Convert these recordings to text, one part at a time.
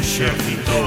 exército.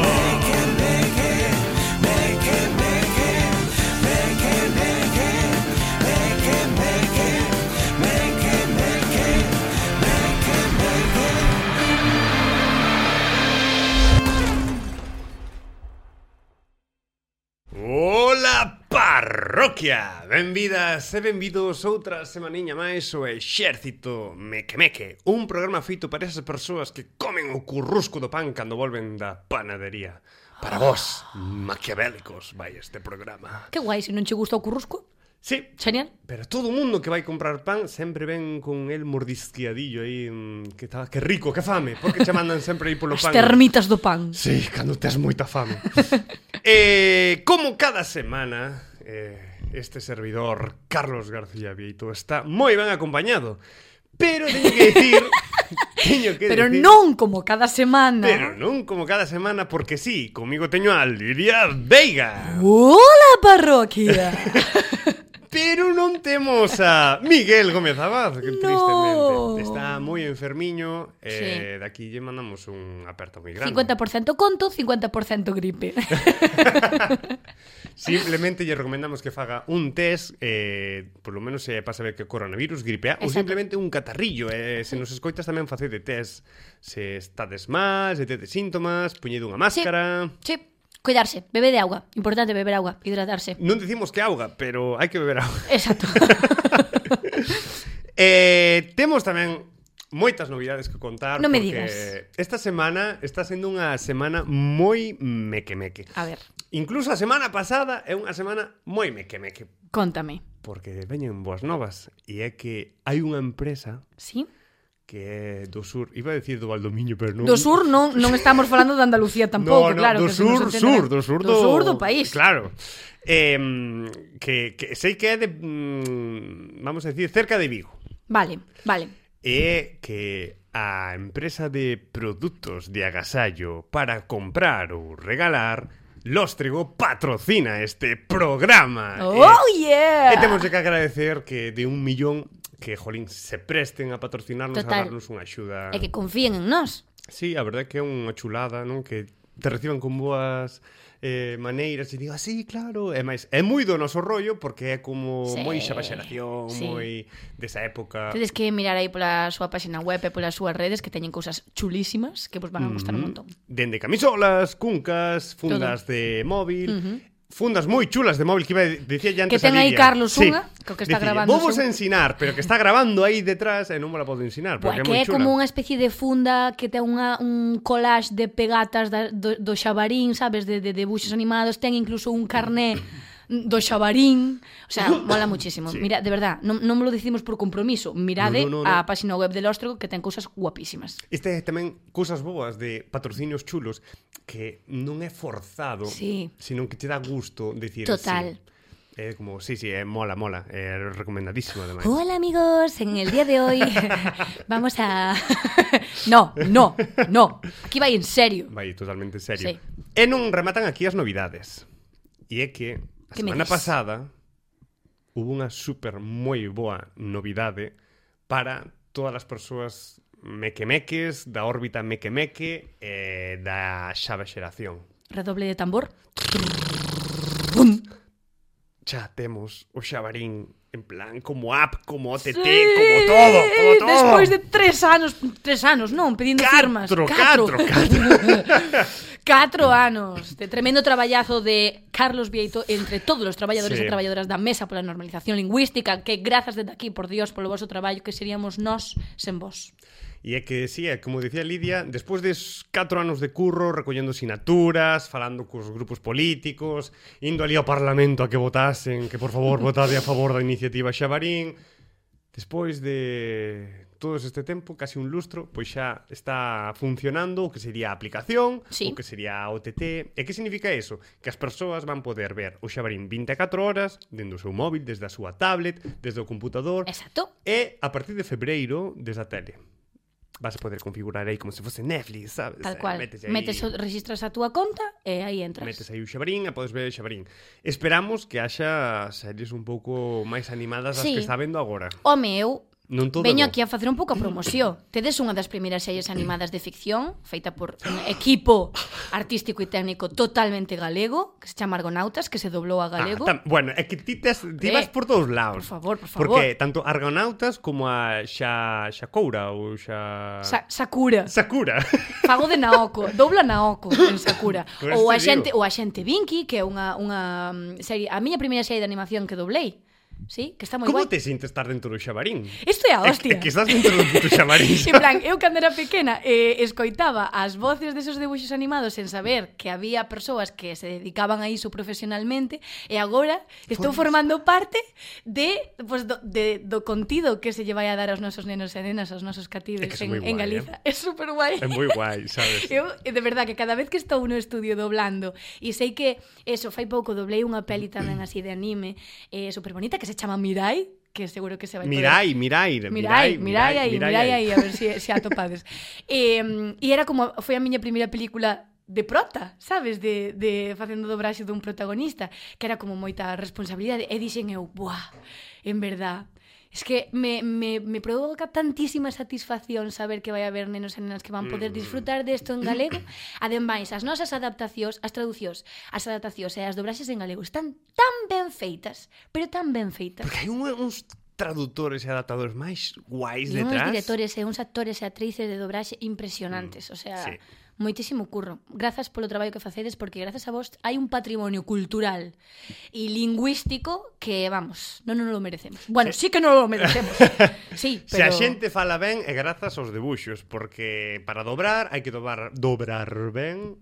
Ola, parroquia! Benvidas e benvidos outra semaniña máis o Exército Meque, un programa feito para esas persoas que comen o currusco do pan cando volven da panadería. Para vos, maquiavélicos, vai este programa. Que guai, se non che gusta o currusco. Sí, Genial. pero todo o mundo que vai comprar pan sempre ven con el mordisqueadillo aí, que rico, que fame, porque che mandan sempre aí polo As pan. termitas do pan. Sí, cando tes moita fame. Como cada semana, este servidor, Carlos García Vieito, está moi ben acompañado. Pero teño que decir... Pero non como cada semana. Pero non como cada semana, porque sí, comigo teño a Lidia Veiga. Ola, parroquia. Pero non temos a Miguel Gómez Abad, que No. tristemente está moi enfermiño. Sí. Daqui lle mandamos un aperto moi grande. 50% conto, 50% gripe. Simplemente lle recomendamos que faga un test, por lo menos para saber que coronavirus, gripe A, ou simplemente un catarrillo. Se nos escoitas tamén facede test se estades mal, se tedes síntomas, poñede unha máscara. Sí, cuidarse, bebe de agua. Importante beber agua, hidratarse. Non dicimos que auga, pero hai que beber auga. Exacto. Temos tamén moitas novidades que contar. Non me porque digas. esta semana está sendo unha semana moi meque. A ver, Incluso a semana pasada é unha semana moi meque. contame. Porque veñen boas novas. E é que hai unha empresa Sí? que é do sur. Iba a decir do Valdomiño, pero non. Do sur non estamos falando de Andalucía tampouco, claro. do que se nos entenderá. do sur do país. Claro. Que sei que é de vamos a decir, cerca de Vigo. Vale. É que a empresa de produtos de agasallo para comprar ou regalar Lóstrego patrocina este programa. Oh, yeah! E temos que agradecer que de 1 millón que, jolín, se presten a patrocinarnos, Total. a darnos unha axuda. E que confíen en nós. Sí, a verdade é que é unha chulada, non? Que te reciban con boas maneiras e digo, sí, claro. E máis, é moi do noso rollo porque é como Sí. moi xa xeración, Sí. moi desa época. Tedes que mirar aí pola súa página web e polas súas redes que teñen cousas chulísimas que vos van a gustar un montón. Dende camisolas, cuncas, fundas de móvil, fundas moi chulas de móvil que iba a dicir ya antes Que ten a aí Lidia. Carlos unha, que o que está grabando Vou vos son- ensinar, pero que está grabando aí detrás e non me la podo ensinar, porque Buah, é que moi é chula. como unha especie de funda que ten un collage de pegatas do xabarín, sabes, de debuxos animados, ten incluso un carné do xabarín, o sea, mola muchísimo. Sí. Mira, de verdad, non me lo decimos por compromiso, mirade No. a página web de Lóstrego que ten cousas guapísimas. Este é tamén cousas boas de patrocinios chulos que non é forzado, Sí. sino que te dá gusto decir Total. sí. É como, sí, mola, é recomendadísimo ademais. Hola amigos, en el día de hoy vamos a... No, aquí vai en serio. Vai totalmente serio. Sí. E non rematan aquí as novidades. E é que a Que me semana dis? pasada hubo unha super moi boa novidade para todas as persoas mequemeques da órbita mequemeque e da xava xeración. Redoble de tambor. Xa temos o xabarín en plan como app, como OTT, Sí, como todo. Despois de 3 anos, non, pedindo firmas. 4 anos de tremendo traballazo de Carlos Vieito entre todos os traballadores Sí. e traballadoras da Mesa pola Normalización Lingüística, que grazas desde aquí, por Dios, polo voso traballo, que seríamos nós sen vos. E é que, sí, como dicía Lidia, despois de 4 anos de curro, recollendo sinaturas, falando cos grupos políticos, indo ali ao Parlamento a que votasen, que por favor votade a favor da iniciativa Xabarín, despois de todo este tempo, casi un lustro, pois xa está funcionando o que sería a aplicación, Sí. o que sería a OTT. E que significa eso? Que as persoas van poder ver o Xabarín 24 horas dende o seu móvil, desde a súa tablet, desde o computador, Exacto. e a partir de febreiro desde a tele. Vas a poder configurar aí como se fose Netflix, sabes? Tal cual. Metes Registras a túa conta e aí entras. Metes aí o Xabarín e podes ver o Xabarín. Esperamos que haxa series un pouco máis animadas das Sí. que está vendo agora. Home, eu Non todo veño bo. aquí a facer un pouco a promoción. Tedes unha das primeiras series animadas de ficción feita por un equipo artístico e técnico totalmente galego, que se chama Argonautas, que se doblou a galego. Bueno, é que ti vas por todos lados. Por favor. Porque tanto Argonautas como a Shakura ou Sakura. Fago de Naoko, dobla Naoko en Sakura. Pues Ou a te digo. xente, o a xente Vinky, que é unha serie, a miña primeira serie de animación que doblei. Sí, que está moi Como guai. te sintes estar dentro do Xabarín? Isto é a hostia. É que estás dentro do puto Xabarín. En plan, eu cando era pequena escoitaba as voces desos debuxos animados sen saber que había persoas que se dedicaban a iso profesionalmente e agora estou formando parte do contido que se lle vai a dar aos nosos nenos e nenas, aos nosos catives É que en guai, Galiza. É super guai. É moi guai, sabes? Eu, de verdad, que cada vez que estou no estudio doblando e sei que, eso, fai pouco doblei unha peli tamén así de anime super bonita que se chama Mirai, que seguro que se vai Mirai aí, a ver se atopades. E era como, foi a miña primeira película de prota, sabes, de facendo dobraxe dun protagonista, que era como moita responsabilidade, e dixen eu, buah, en verdad, es que me provoca tantísima satisfacción saber que vai haber nenos e nenas que van poder disfrutar desto en galego. Ademais, as nosas adaptacións, as traducións, as adaptacións e as dobraxes en galego están tan ben feitas, pero tan ben feitas. Porque hai uns traductores e adaptadores máis guais E uns detrás. directores e uns actores e actrices de dobraxe impresionantes, o sea, sí. moitísimo curro. Grazas polo traballo que facedes, porque grazas a vos hai un patrimonio cultural e lingüístico que, vamos, non nos lo merecemos. Bueno, sí que non lo merecemos. Sí, pero... Se a xente fala ben é grazas aos debuxos, porque para dobrar hai que dobrar ben,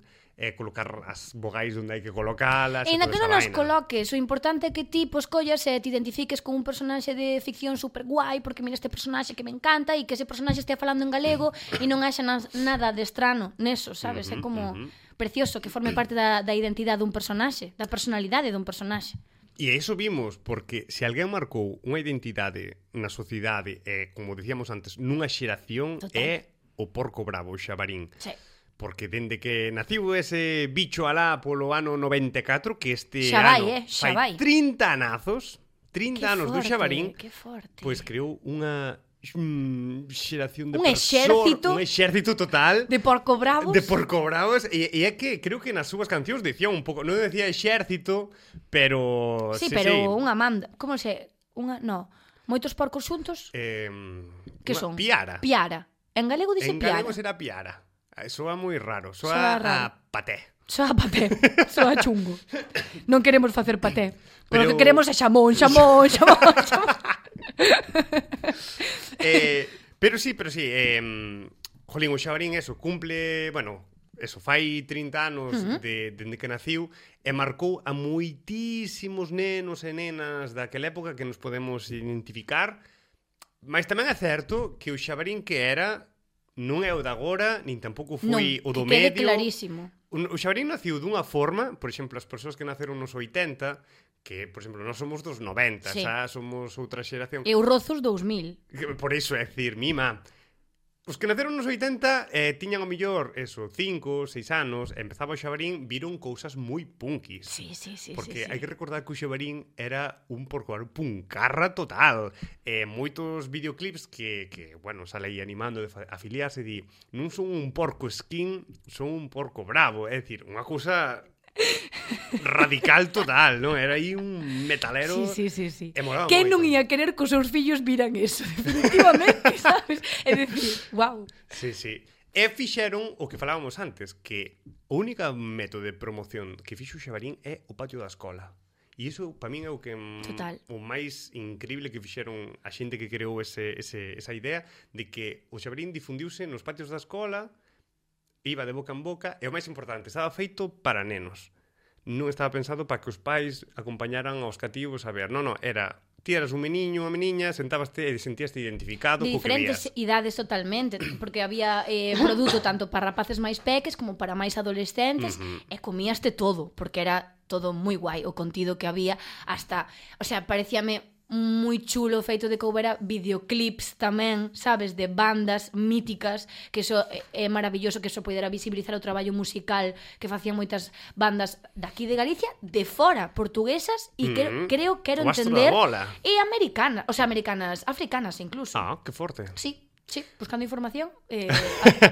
colocar as vogais onde hai que colocalas. E na que non nos vaina. coloques, o importante é que ti collas e te identifiques con un personaxe de ficción super guai, porque mira este personaxe que me encanta e que ese personaxe estea falando en galego e non haxa nada de estrano neso, sabes? É como precioso que forme parte da identidade dun personaxe, da personalidade dun personaxe. E iso vimos, porque se alguén marcou unha identidade na sociedade, como dicíamos antes, nunha xeración, é o porco bravo, o Xabarín. Sí. Porque dende que naciu ese bicho alá polo ano 94, que este xa ano vai. 30 anazos, 30 anos do Xabarín, pois creou unha xeración de un exército total de porco bravos. E é que creo que nas súas cancións decía un pouco, non decía exército, pero sí, pero unha manda, como se, moitos porcos xuntos. Que son? Piara. En galego dice piara. En galego será piara. Soa moi raro, soa a paté. Soa chungo. Non queremos facer paté. Pero o que queremos é xamón. Pero sí, jolín, o Xabarín cumple, fai 30 anos dende que naciu e marcou a moitísimos nenos e nenas daquela época que nos podemos identificar, mas tamén é certo que o Xabarín que era non é o de agora, nin tampouco foi o do medio. Non, que quede clarísimo. O Xabarín naciu dunha forma, por exemplo, as persoas que naceron nos 80, que, por exemplo, nós somos dos 90, xa somos outra xeración. E os rozos 2000. Por iso, é dicir, mima, os que naceron nos 80 tiñan o mellor, 5, 6 anos, e empezaba o Xabarín, viron cousas moi punkis. Sí. Porque hai que recordar que o Xabarín era un puncarra total. Moitos videoclips que sale aí animando de afiliarse e di, non son un porco skin, son un porco bravo. É dicir, unha cousa radical total, non? Era aí un metalero. Sí. Quen non ia querer que os seus fillos viran eso? Definitivamente, sabes? É dicir, wow. Sí. E fixeron o que falábamos antes, que o único método de promoción que fixo o Xabarín é o patio da escola. E iso, para min, é o que o máis increíble que fixeron a xente que creou esa idea de que o Xabarín difundiuse nos patios da escola, iba de boca en boca, e o máis importante, estaba feito para nenos. Non estaba pensado para que os pais acompañaran aos cativos a ver. Non, era... Ti eras un meniño, unha meniña, sentábaste e sentíaste identificado co que vías. De diferentes idades totalmente, porque había produto tanto para rapaces máis peques como para máis adolescentes, e comíaste todo, porque era todo moi guai o contido que había, hasta, o sea, parecíame moi chulo o feito de que houbera videoclips tamén, sabes, de bandas míticas, que iso é maravilloso que iso poidera visibilizar o traballo musical que facían moitas bandas daqui de Galicia, de fora, portuguesas, e creo, quero entender, e americanas, o sea, americanas, africanas incluso. Ah, que forte. Sí, buscando información,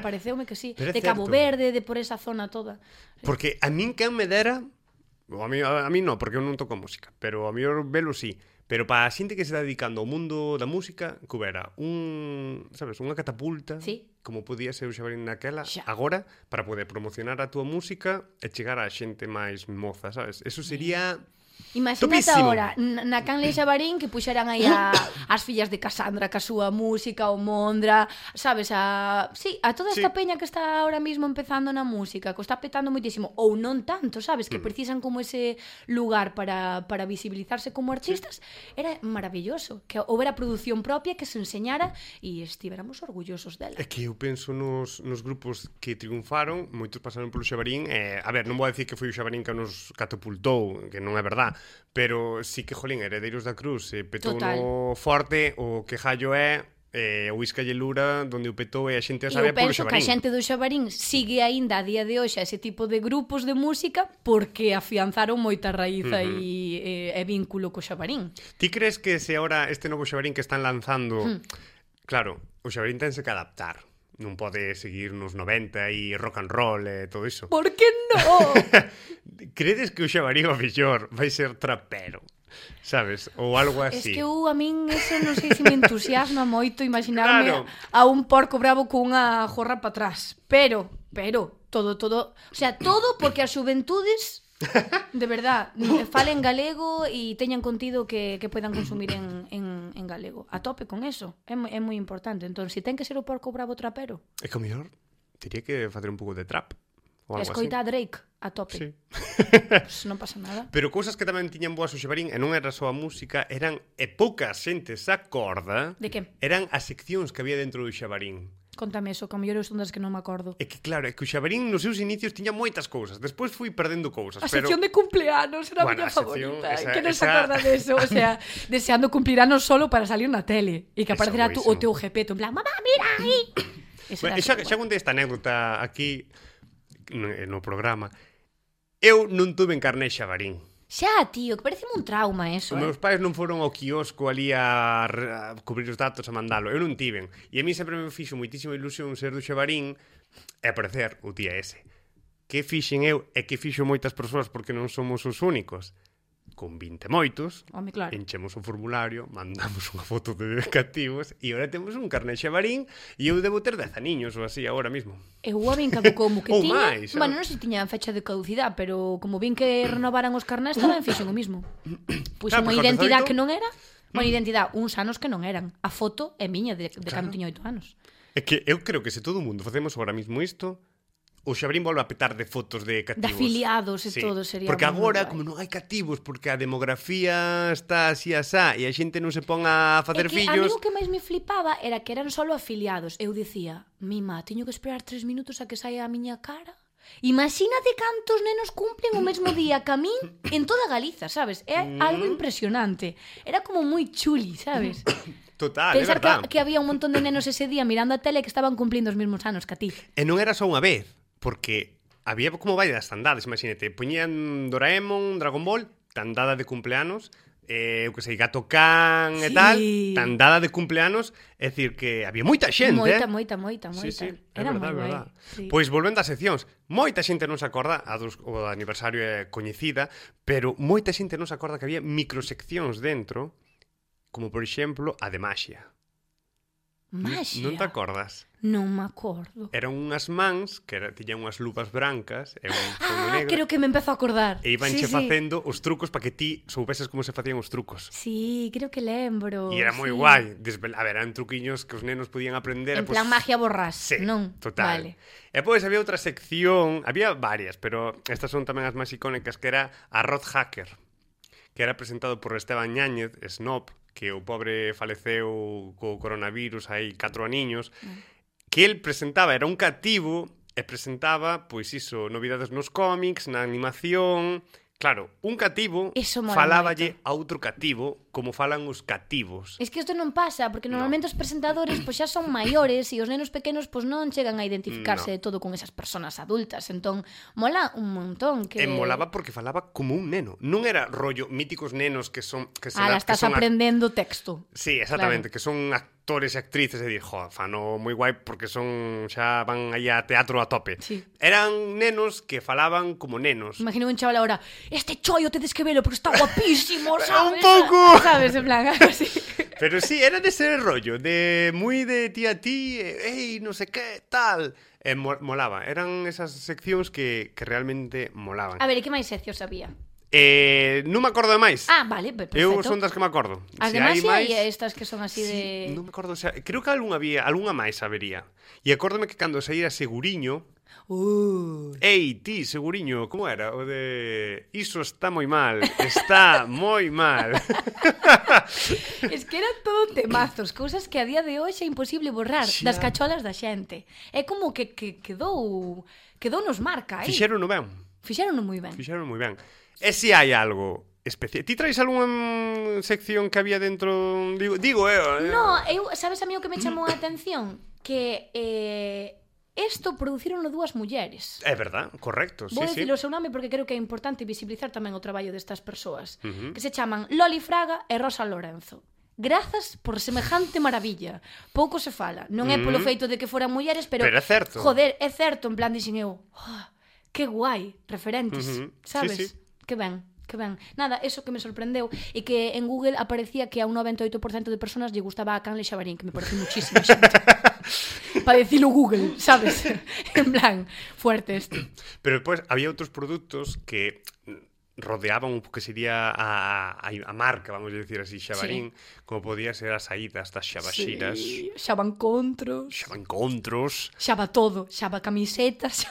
pareceume que sí, de Cabo Verde, de por esa zona toda. Porque a min quen me dera, a mí non, porque eu non toco música, pero a mí velo sí. Pero para a xente que se está dedicando ao mundo da música, que houbera unha catapulta, como podía ser o Xabarín naquela, agora, para poder promocionar a túa música e chegar á xente máis moza, sabes? Eso sería... Imagínate agora, na Canle Xabarín que puxeran aí as fillas de Casandra ca súa música, o Mondra, sabes, a toda esta peña que está ahora mismo empezando na música, que está petando moitísimo, ou non tanto, sabes, que precisan como ese lugar para visibilizarse como artistas, era maravilloso, que houbera produción propia que se enseñara e estiveramos orgullosos dela. É que eu penso nos grupos que triunfaron, moitos pasaron polo Xabarín, a ver, non vou dicir que foi o Xabarín que nos catapultou, que non é verdade, pero sí que, jolín, Heredeiros da Cruz petou no forte, o que Jallo é o Isca e Lura, donde o petou e a xente a sabe polo Xabarín. E eu penso que a xente do Xabarín sigue aínda a día de hoxe ese tipo de grupos de música porque afianzaron moita raíz e vínculo co Xabarín. Ti crees que se ahora este novo Xabarín que están lanzando, claro, o Xabarín tense que adaptar, non pode seguir nos 90 e rock and roll e todo iso. Por que non? Credes que o Xabarín o mellor vai ser trapero? Sabes? Ou algo así. Es que a min eso non sei se me entusiasma moito imaginarme a un porco bravo cunha jorra para atrás. Pero, todo, o sea, todo porque as xuventudes de verdad falen galego e teñan contido que poidan consumir en galego. A tope con eso, é moi importante. Entón, se ten que ser o porco bravo trapero, é que o mellor diría que facer un pouco de trap. Escoita a Drake a tope. Sí. Pues non pasa nada. Pero cousas que tamén tiñan boas o Xabarín, e non era só a música, eran, e pouca xente se acorda, de que? Eran as seccións que había dentro do Xabarín. Contame eso, que a mellor son das que non me acordo. É que claro, é que o Xabarín nos seus inicios tiña moitas cousas. Despois fui perdendo cousas. A sección de cumpleanos era a miña favorita. Que non se acorda de eso. O sea, deseando cumplir anos solo para salir na tele. E que aparecerá o teu jepeto. En plan, mamá, mira aí. Xa contei esta anécdota aquí no programa. Eu non tuve carné Xabarín. Xa, tío, que pareceme un trauma eso. Os meus pais non foron ao quiosco ali a cubrir os datos a mandalo. Eu non tiven. E a mí sempre me fixo moitísima ilusión ser do Xabarín e aparecer o día ese. Que fixen eu e que fixo moitas persoas porque non somos os únicos. Con 20 moitos, claro. Enchemos o formulario, mandamos unha foto de cativos e agora temos un carné Xabarín e eu debo ter 10 aniños ou así agora mismo. Eu a vin caducou como que tiña, máis, bueno, non sei se tiña fecha de caducidade, pero como vin que renovaran os carnés tamén fixen o mismo. Puxen unha identidade que non era, unha identidade, uns anos que non eran. A foto é miña de cando tiña 8 anos. É que eu creo que se todo o mundo facemos agora mismo isto, o Xabarín volve a petar de fotos de cativos. De afiliados e todo sería. Porque agora, como non hai cativos, porque a demografía está así asá e a xente non se pon a facer fillos... A mí o que máis me flipaba era que eran solo afiliados. Eu dicía, mima, teño que esperar 3 minutos a que saia a miña cara? Imagínate cantos nenos cumplen o mesmo día que a min en toda Galiza, sabes? É algo impresionante. Era como moi chuli, sabes? Total, pensar é verdad. que había un montón de nenos ese día mirando a tele que estaban cumplindo os mesmos anos que a ti. E non era só unha vez, porque había como varias tandades, imagínate, poñían Doraemon, Dragon Ball, tandada de cumpleanos, eu que sei, Gato Can e tal, tandada de cumpleanos, é dicir que había moita xente, Moita. Sí, era verdad, moi verdad. Sí. Pois volvendo ás seccións, moita xente non se acorda, o aniversario é coñecida, pero moita xente non se acorda que había microseccións dentro, como por exemplo a de Maxia. Maxia? Non te acordas? Non me acordo. Eran unhas mans que tiñan unhas lupas brancas e un fondo negro. Creo que me empezo a acordar. E ibanche facendo os trucos para que ti soubeses como se facían os trucos. Sí, creo que lembro. E era moi guai. A ver, eran truquiños que os nenos podían aprender. En plan magia borrás, sí, non? Total. Vale. E pois había outra sección, había varias, pero estas son tamén as máis icónicas, que era Arroz Hacker, que era presentado por Esteban Ñáñez, Snob, que o pobre faleceu co coronavirus hai 4 aniños, que el presentaba, era un cativo, e presentaba, pois iso, novidades nos cómics, na animación, Claro, un cativo Iso mola faláballe a outro cativo como falan os cativos. Es que isto non pasa, porque normalmente os presentadores pois xa son maiores e os nenos pequenos pois non chegan a identificarse de todo con esas persoas adultas. Entón, mola un montón que... E molaba porque falaba como un neno. Non era rollo míticos nenos que son... Que la estás aprendendo texto. Sí, exactamente, claro. Que son actores e actrices e dir, fano moi guai porque son xa van aí a teatro a tope. Sí. Eran nenos que falaban como nenos. Imagino un chaval agora, este chollo tedes que velo porque está guapísimo, sabes? Un pouco. Sabes, en plan, así. Pero sí, era dese rollo, de moi de ti a ti, ei, non sei que, tal. Molaba, eran esas seccións que realmente molaban. A ver, e que máis seccións había? Non me acordo de máis. Ah, vale, perfecto. Eu son das que me acordo. As demais hai estas que son así de... Non me acordo, creo que algunha máis habería. E acórdame que cando saíra Seguriño... Ei, ti, Seguriño, como era? O de... Iso está moi mal, está moi mal. Es que eran todo temazos, cousas que a día de hoxe é imposible borrar das cacholas da xente. É como que quedou nos marca, Fixérono ben. Fixérono moi ben. Fixérono moi ben. E se hai algo especial? Ti traes algunha sección que había dentro... Digo eu... No, sabes a mí o que me chamou a atención? Que... Isto producironlo dúas mulleres. É verdad, correcto. Vou dicir o seu nome porque creo que é importante visibilizar tamén o traballo destas persoas. Que se chaman Loli Fraga e Rosa Lorenzo. Grazas por semejante maravilla. Pouco se fala. Non é polo feito de que foran mulleres, pero é certo. Joder, é certo, en plan dixen eu. Que guai, referentes, sabes? Sí. Que ben. Nada, eso que me sorprendeu e que en Google aparecía que a un 98% de personas lle gustaba a Canle Xabarín, que me parece muchísimo xente. Para dicilo Google, sabes? En plan, fuerte esto. Pero despois había outros produtos que rodeaban un que sería a marca, vamos a decir así, Xabarín, como podía ser as saídas das xabaxiras. Sí, xabancontros, xaba todo, xaba camisetas,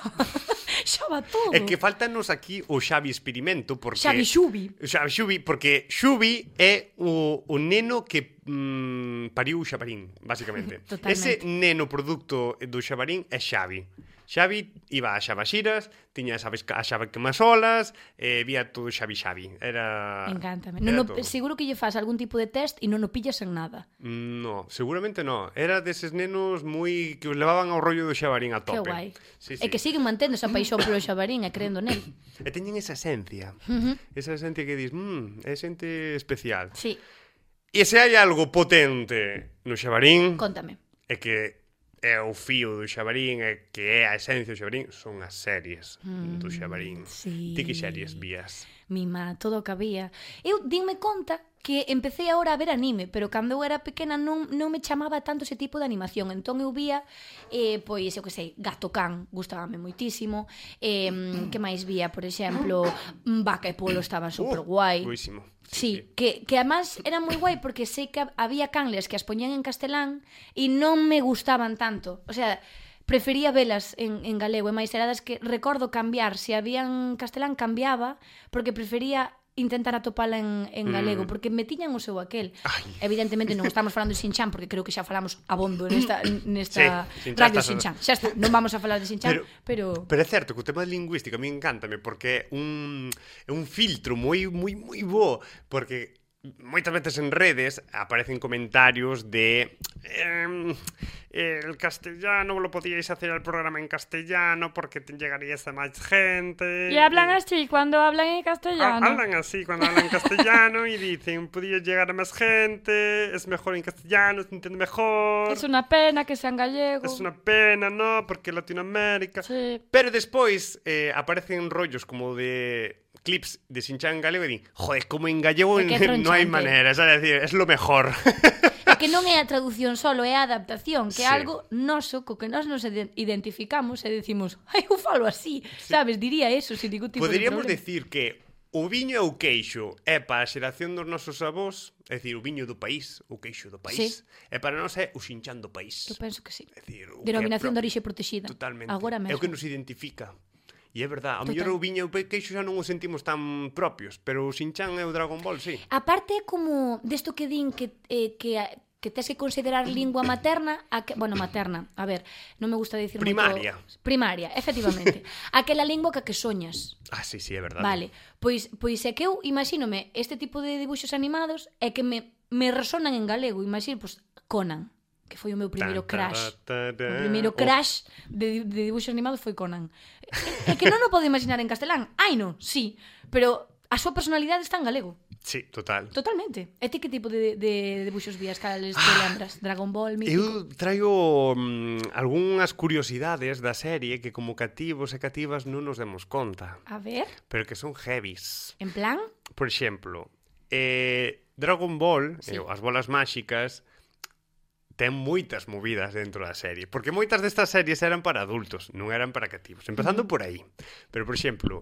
xaba todo. É que faltanos aquí o Xavi experimento porque Xavi porque Xubi é o neno que pariu o Xabarín, basicamente. Ese neno producto do Xabarín é Xavi. Xavi iba a xabaxiras, tiña a xave quemasolas, vía todo Xavi. Era... Encántame. Seguro que lle faz algún tipo de test e non o pillas en nada. No, seguramente no. Era deses nenos moi que os levaban ao rollo do Xabarín a tope. Que guai. Sí. E que siguen mantendo esa paixón polo Xabarín e creendo nel. E teñen esa esencia. Esa esencia que dis, é xente especial. Sí. E se hai algo potente no Xabarín... Contame. É que é o fío do Xabarín, é que é a esencia do Xabarín, son as series do Xabarín. Sí. Ti que series vías? Mima, todo o que había. Eu dime conta que empecé agora a ver anime, pero cando eu era pequena non me chamaba tanto ese tipo de animación. Entón eu vía, pois, eu que sei, Gato Can, gustábame moitísimo. Que máis vía, por exemplo, Vaca e Polo estaba super guai. Buísimo. Sí, que además era moi guai porque sei que había canles que as poñían en castelán e non me gustaban tanto. O sea, prefería velas en galego e máis era das que recordo cambiar. Se había en castelán cambiaba porque prefería intentar atopala en galego, porque me tiñan o seu aquel. Evidentemente non estamos falando de Shin-chan porque creo que xa falamos abondo nesta radio Shin-chan. Xa está, non vamos a falar de Shin-chan, pero é certo que o tema lingüístico a mí encántame porque é un filtro moi bo, porque moitas veces en redes aparecen comentarios de el castellano lo podíais hacer el programa en castellano porque te llegarías a máis gente. Y hablan así cuando hablan en castellano. Hablan así cuando hablan en castellano y dicen, podía llegar a más gente, es mejor en castellano, se entiende mejor. Es una pena que sea en gallego. Es una pena, ¿no? Porque Latinoamérica. Sí. Pero despois aparecen rollos como de clips de Shin-chan en galego e din, joder, como en gallego non hai manera, es decir, es lo mejor. É que non é a traducción solo, é a adaptación, que é algo noso, co que nós nos identificamos e decimos, ai, eu falo así, sabes, diría eso, sin ningún tipo Poderíamos de problema. decir que o viño e o queixo é para a xeración dos nosos avós, é dicir, o viño do país, o queixo do país, e para nós é o Shin-chan do país. Eu penso que sí. É dicir, denominación de orixe protegida. Totalmente. Agora mesmo. É o que nos identifica. E é verdad, a mellor o viño e o queixo xa non o sentimos tan propios, pero o Shin-chan e o Dragon Ball, sí. A parte como desto que din que que tes que considerar lingua materna, bueno, materna, a ver, non me gusta dicir primaria. Moito, primaria, efectivamente. Aquela lingua que soñas. Ah, sí, é verdade. Vale, pois é que eu imagínome este tipo de dibuixos animados é que me resonan en galego. Imagino, pois, Conan, que foi o meu primeiro crash. O primeiro crash de dibuixos animados foi Conan. É que non o podo imaginar en castelán. Ai, non, sí, pero a súa personalidade está en galego. Sí, total. Totalmente. E ti que tipo de dibuixos vías cales te lembras? Dragon Ball, mítico? Eu traigo algunhas curiosidades da serie que como cativos e cativas non nos demos conta. A ver. Pero que son heavies. En plan? Por exemplo, Dragon Ball, Sí. as bolas máxicas, ten moitas movidas dentro da serie, porque moitas destas series eran para adultos, non eran para cativos, empezando por aí. Pero, por exemplo,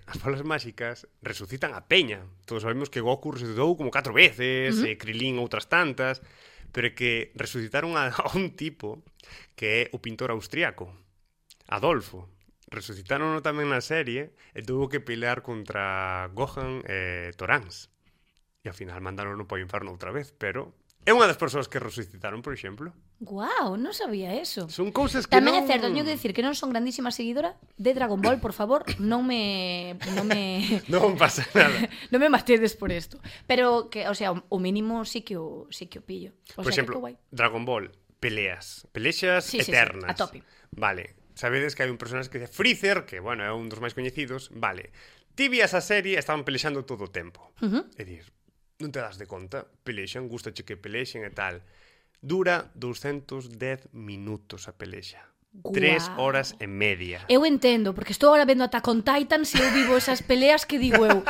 as bolas máxicas resucitan a peña. Todos sabemos que Goku resucitou como 4 veces, Krilin outras tantas, pero é que resucitaron a un tipo que é o pintor austriaco, Adolfo. Resucitaron tamén na serie e tuvo que pelear contra Gohan e Torans. E ao final mandaron para o inferno outra vez, pero é unha das persoas que resucitaron, por exemplo. Guau, non sabía eso. Son cousas que Tamén non... é certo, teño que decir que non son grandísima seguidora de Dragon Ball, por favor, non me Non pasa nada. non me mastedes por isto. Pero que, o sea, o mínimo sí que o pillo. O Por sea, exemplo, que guai. Dragon Ball, pelexas Sí, eternas. a tope. Vale, sabedes que hai un personaxe que é Freezer, que, bueno, é un dos máis coñecidos. Vale, ti vías a serie, estaban pelexando todo o tempo. É dicir, non te das de conta, pelexan, gustache que pelexen e tal. Dura 210 minutos a pelexa. Guau. 3 horas e media. Eu entendo, porque estou ahora vendo Attack on Titan, se eu vivo esas peleas que digo eu,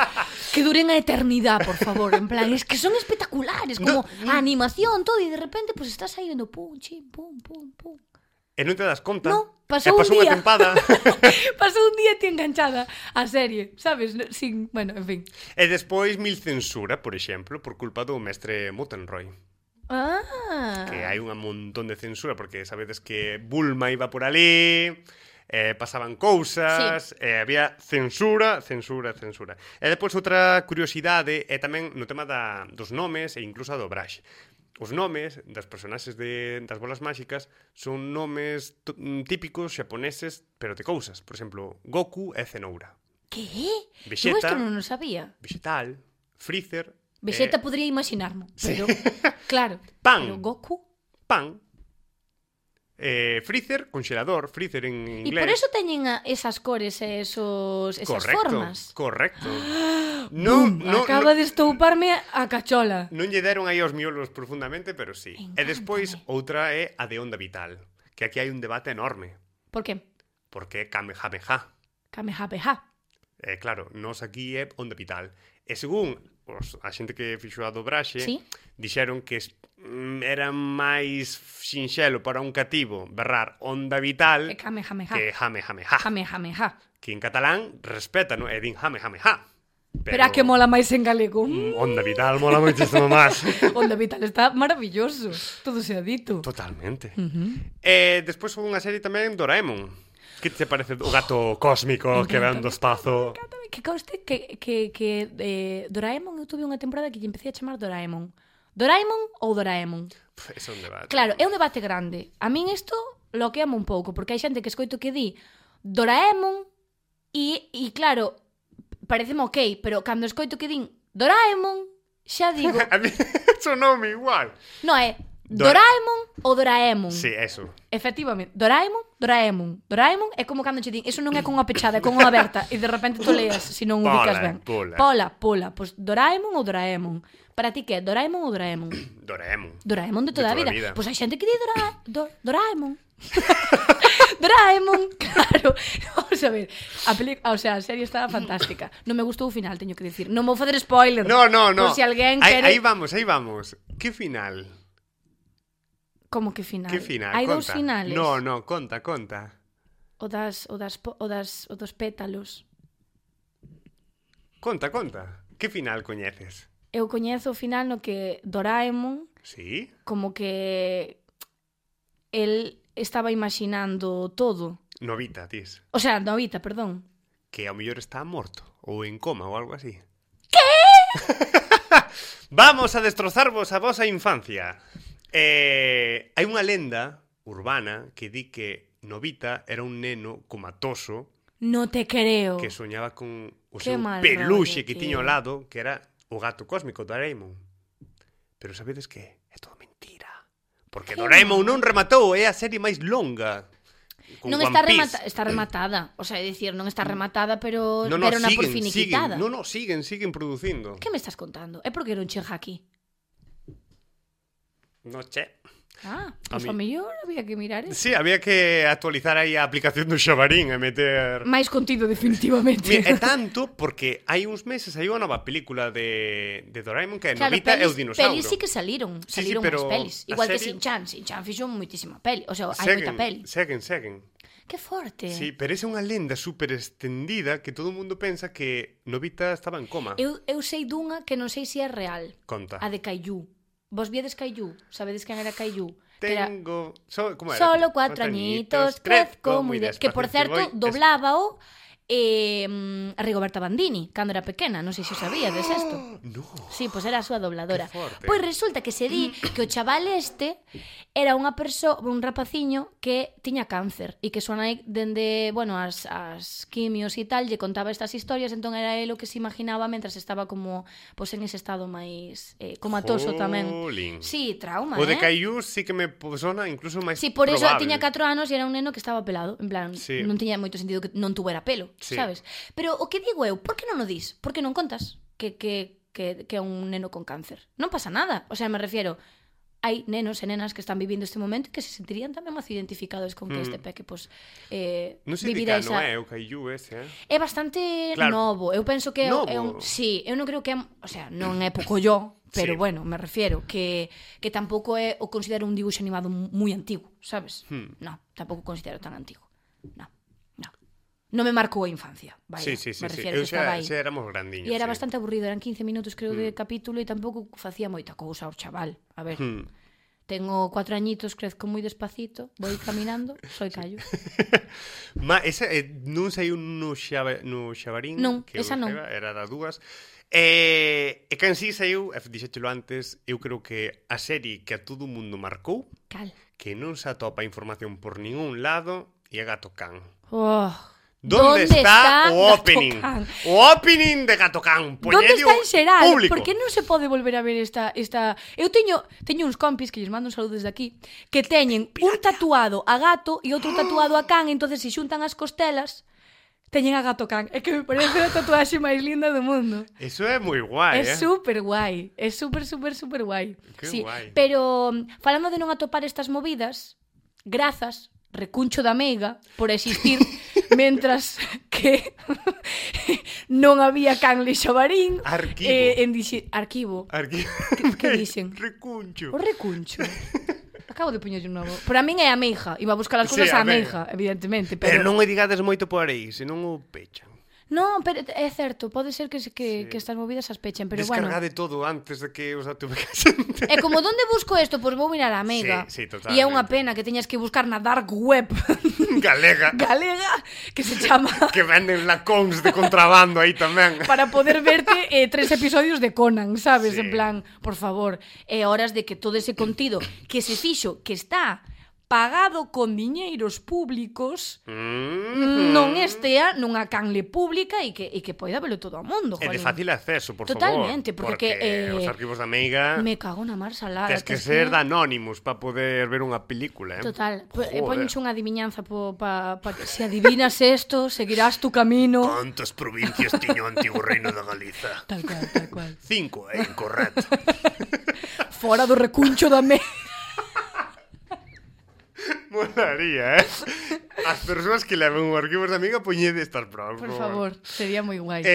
que duren a eternidade, por favor, en plan, es que son espectaculares, como a animación, todo, e de repente, pues estás aí vendo pum, chim, pum, pum, pum. E non te das conta. No, pasou un unha día. tempada. Pasou un día ti enganchada a serie, sabes? Sin, bueno, en fin. E despois mil censura, por exemplo, por culpa do mestre Muttenroy. Ah. Que hai un montón de censura, porque sabedes que Bulma iba por ali, pasaban cousas, había censura. E depois outra curiosidade é tamén no tema dos nomes e incluso a dobraxe. Os nomes das personaxes das bolas máxicas son nomes típicos xaponeses, pero de cousas. Por exemplo, Goku é cenoura. Que? Vegeta. Eu isto non o sabía. Vegetal, Freezer... Vegeta podría imaginarmo, pero... Claro. Pan. Pero Goku... Pan. Freezer, congelador, Freezer en E inglés. por eso teñen esas cores e esas formas. Correcto. Acaba de estouparme a cachola. Non lle deron aí aos miolos profundamente, pero sí. E despois, outra é a de onda vital, que aquí hai un debate enorme. Por que? Porque é Kamehameha. Kamehameha. Claro, nos aquí é onda vital. E según a xente que fixo a dobraxe, Sí. dixeron que era máis sinxelo para un cativo berrar onda vital Que Kamehameha. que Jamejameja. Kamehameha. Que en catalán respeta, non? E din Jamejameja. Pero a que mola máis en galego. Onda vital mola moitísimo máis. Onda Vital está maravilloso. Todo se ha dito. Totalmente. E despois houve unha serie tamén, Doraemon. Que te parece o gato cósmico que ven do espazo? Que conste que Doraemon, eu tuve unha temporada que lle empecé a chamar Doraemon. Doraemon ou Doraemon? É un debate. Claro, é un debate grande. A min isto loqueame un pouco, porque hai xente que escoito que di Doraemon e claro, pareceme ok, pero cando escoito que din Doraemon, xa digo... A mí sonoume igual. Non é Doraemon ou Doraemon. Sí, eso. Efectivamente, Doraemon é como cando che din, eso non é con unha pechada, é con unha aberta e de repente tu leas se non ubicas ben. Pola, pois Doraemon ou Doraemon. Para ti que é Doraemon ou Doraemon? Doraemon de toda a vida. Pois hai xente que di Doraemon. Doraemon, claro. Vamos a ver, a serie estaba fantástica. Non me gustou o final, teño que decir. Non vou fazer spoiler. No. Por si alguén quere... Aí vamos. Que final? Como que final? Que final? Hai Conta. dous finales. No, conta. O dos pétalos. Conta. Que final coñeces? Eu coñezo o final no que Doraemon Sí? como que el estaba imaginando todo. Novita, tis. O sea, Novita, perdón. Que ao mellor está morto ou en coma ou algo así. ¿Qué? Vamos a destrozarvos a vosa infancia. Hai unha lenda urbana que di que Novita era un neno comatoso No te creo. que soñaba con o Qué seu mal peluxe rollo, que tío. tiña ao lado, que era o gato cósmico Doraemon. Pero sabedes que é todo mentira. Porque Que Doraemon mal. non rematou, é a serie máis longa. Con Non One está, Piece. está rematada. O sea, é dicir, non está rematada, pero No, deron por siguen, finiquitada. siguen producindo. Que me estás contando? É porque non chega aquí. No che. Pois a mellor había que mirar eso. Sí, había que actualizar aí a aplicación do Xabarín e meter... Máis contido definitivamente. Mira, é tanto porque hai uns meses hai unha nova película de Doraemon que é Novita e o dinossauro. Pelis sí que saliron. Sí, Saliron pero máis pelis. a Igual que serie- Shin-Chan. Shin-Chan fixo moitísima peli. O sea, hai moita peli. Seguen. Que forte. Sí, pero esa é unha lenda super extendida que todo o mundo pensa que Novita estaba en coma. Eu sei dunha que non sei se é real. Conta. A de Caillou. Vos viedes Caillou? Sabedes quen era Caillou? Que era Tengo... ¿Cómo era? Solo 4 añitos, crezco moi de... Que, por certo, doblábao Rigoberta Bandini, cando era pequena. Non sei se o sabíades isto. No. Sí, pois era a súa dobladora. Que forte. Pois resulta que se di que o chaval este era unha persoa, un rapaciño que tiña cáncer e que súa nai dende, bueno, as quimios e tal, lle contaba estas historias, entón era el o que se imaginaba mentras estaba como, pois en ese estado máis comatoso tamén. Jolín. Sí, trauma, O de Caillou sí que me sona incluso máis Sí, por eso probable. tiña 4 anos e era un neno que estaba pelado. En plan, Sí. non tiña moito sentido que non tuvera pelo, Sí. sabes? Pero o que digo eu, por que non o dis? Por que non contas que é un neno con cáncer? Non pasa nada. O sea, me refiero, hai nenos e nenas que están vivindo este momento e que se sentirían tamén máis identificados con que este peque, pois, Non sei de vivira cano esa... é o Caillou ese, É bastante Claro. novo. Eu penso que Novo? é un... Sí, eu non creo que é... O sea, non é pouco yo, pero Sí. bueno, me refiero que tampouco é o considero un dibuixo animado moi antigo, sabes? No, tampouco considero tan antigo. No. Non me marcou a infancia, vaya. Sí. Me refiero Eu que estaba aí. xa éramos grandiños. E era sí. bastante aburrido, eran 15 minutos creo de capítulo e tampouco facía moita cousa o chaval. A ver, tengo 4 añitos, crezco moi despacito, vou caminando, soy callo. Esa non saiu no Xabarín, Non, que eu esa non. vexaba, era das dúas. E que en sí saiu, dixételo antes, eu creo que a serie que a todo o mundo marcou, Cal. que non se atopa información por ningún lado, e é Gato Can. Oh, Donde está o Gato opening? Can? O opening de Gato Can. Donde está en xeral? Público. Por que non se pode volver a ver esta... Eu teño uns compis que lles mando un saludo desde aquí que teñen un tatuado a gato e outro tatuado a can, entonces se xuntan as costelas teñen a Gato Can. É que me parece a tatuaxe máis linda do mundo. Eso é moi guai, É super guai. É super guai. Que Sí, guai. pero falando de non atopar estas movidas, grazas, recuncho da meiga, por existir, mentras que non había canle Xabarín. Arquivo. Arquivo. Arquivo. Que dixen? Recuncho. O recuncho. Acabo de poñerlle un novo. Para min é a meija. Iba a buscar as cousas Sí, á a meiga. meija, evidentemente. Pero non o digades moito por aí, senón o pechan. Non, pero é certo, pode ser que estas movidas as pechen, pero bueno. Descargade todo antes de que os atupecasen. É como donde busco isto, pois vou mirar a Mega. Sí, E é unha totalmente. pena que teñas que buscar na dark web Galega. galega que se chama Que venden lacóns de contrabando aí tamén. para poder verte 3 episodios de Conan, sabes? Sí. En plan, por favor, é horas de que todo ese contido que se fixo, que está pagado con diñeiros públicos, non estea nunha canle pública e que poida velo todo o mundo. É de jolín. fácil acceso, por Totalmente, favor. porque os arquivos da Meiga me cago na mar salada. tes que ser de Anonymous para poder ver unha película, Total, Joder. poñenche unha adiviñanza pa que se adivinas esto, seguirás tu camino. Cantas provincias tiño o antigo reino da Galiza? Tal cual. 5, incorrecto. Fora do recuncho da me. Molaría, As persoas que levan o arquivos da Amiga poñede estas provas. Por favor, sería moi guai.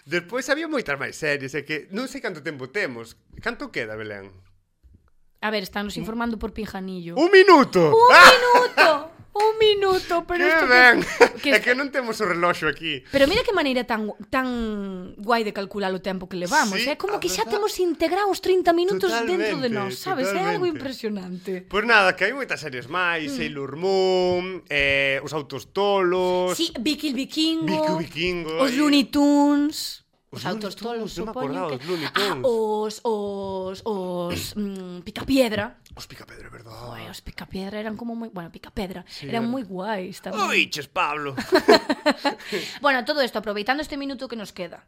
Despois había moitas máis series, é que non sei canto tempo temos. Canto queda, Belén? A ver, están nos informando por Pinjanillo. ¡Un minuto! Un minuto, pero Que isto ben! que É que non temos o reloxo aquí. Pero mira que maneira tan guai de calcular o tempo que levamos, Sí, é como a que xa verdad. temos integrados 30 minutos dentro de Totalmente, nós, sabes? É algo totalmente. impresionante. Pois nada, que hai moitas series máis, Sailor Moon, Os Autos Tolos, Sí, Vicky el Vikingo, Vicky Vikingo, os Looney Tunes. Os autostolos, non me supoño acordaba que... dos Looney Tunes. Picapiedra. Os Picapedra, verdad. Joder, os Picapiedra eran como moi... Bueno, Picapedra. Eran moi guais tamén. Oiches, Pablo. Bueno, todo isto, aproveitando este minuto que nos queda.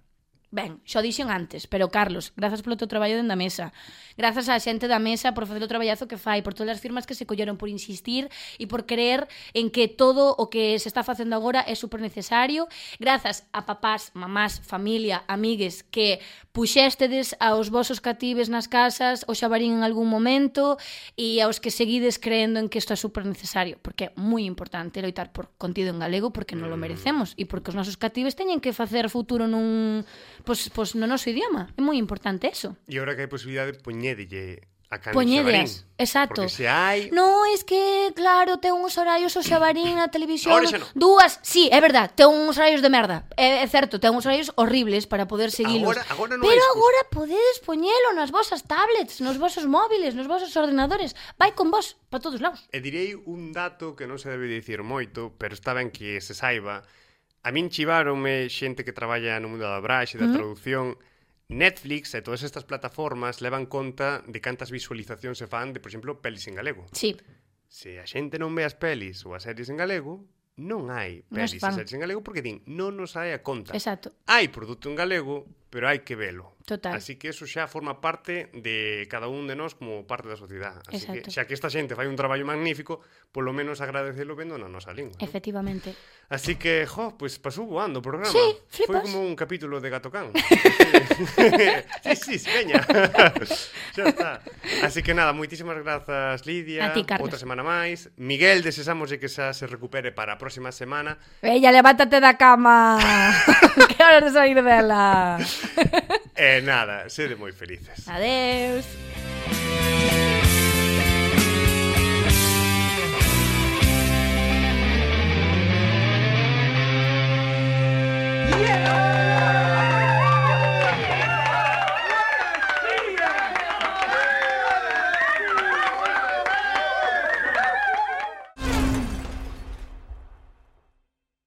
Ben, xo dixen antes, pero Carlos, grazas polo teu traballo dentro da mesa. Grazas á xente da mesa por facer o traballazo que fai, por todas as firmas que se colleron, por insistir e por creer en que todo o que se está facendo agora é super necesario. Grazas a papás, mamás, familia, amigues que puxéstedes aos vosos catives nas casas o xabarín en algún momento e aos que seguides creendo en que isto é super necesario, porque é moi importante loitar por contido en galego porque non lo merecemos e porque os nosos catives teñen que facer futuro nun... Pois no noso idioma. É moi importante eso. E agora que hai posibilidade, poñédelle a Cani Poñedeas, Xabarín. exacto. Porque se hai... No, es que, claro, ten uns horarios o Xabarín na televisión. Ahora xa non. Dúas, sí, é verdad, ten uns horarios de merda. É certo, ten uns horarios horribles para poder seguilos. Agora non Pero hai excusa. agora podedes poñelo nas vosas tablets, nos vosos móviles, nos vosos ordenadores. Vai con vos, para todos lados. E direi un dato que non se debe dicir moito, pero está ben que se saiba. A min chiváronme xente que traballa no mundo da dobraxe, da traducción. Netflix e todas estas plataformas levan conta de cantas visualizacións se fan de, por exemplo, pelis en galego. Sí. Se a xente non ve as pelis ou as series en galego, non hai Non pelis se fan. e series en galego porque din, non nos hai a conta. Exacto. Hai produto en galego, pero hai que velo. Total. Así que eso xa forma parte de cada un de nós como parte da sociedade. Así Exacto. que xa que esta xente fai un traballo magnífico, polo menos agradecelo vendo na nosa lingua. ¿No? Efectivamente. Así que, pues pasou voando o programa. Sí, Foi flipas. como un capítulo de Gato Can. sí, veña. Xa está. Así que nada, moitísimas grazas, Lidia. A ti, Carlos. Outra semana máis. Miguel, desexamos que xa se recupere para a próxima semana. Bella, levántate da cama. Que horas de sair dela. Nada, sede moi felices. Adeus.